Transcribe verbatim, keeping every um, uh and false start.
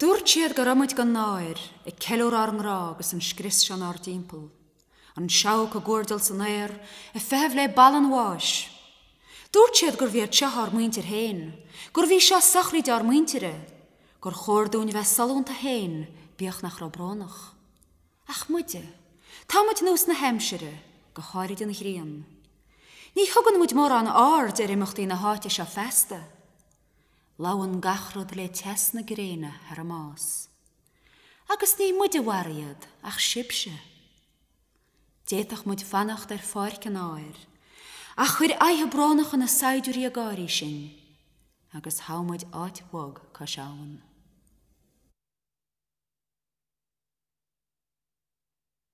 Dúirt siad go raibh muid gan náir, ag ceiliúradh ár ngrá agus an scrios seo inár dtimpeall, an seabhac ag guairdeall san aer, ag feitheamh le balla an bháis. Dúirt siad gurbh iad seo ár muintir féin, gurbh í seo sochraid ár muintire, gur chóir dúinn bheith sollúnta féin, bíodh nach raibh brónach. Ach muide, tá muid nós na haimsire, go háirid an ghrian. Ní thugann muid mórán aird ar imeachtaí na háite seo feasta. Lobhann gach rud le teas na gréine thar a mbás. Agus ní muid a mharaigh iad ach sibhse. D'fhéadfadh muid fanacht ar pháirc an áir, ach chuir aghaidhe brónacha na saighdiúirí ag gáirí sinn, agus thogh muid áit bhog cois abhann.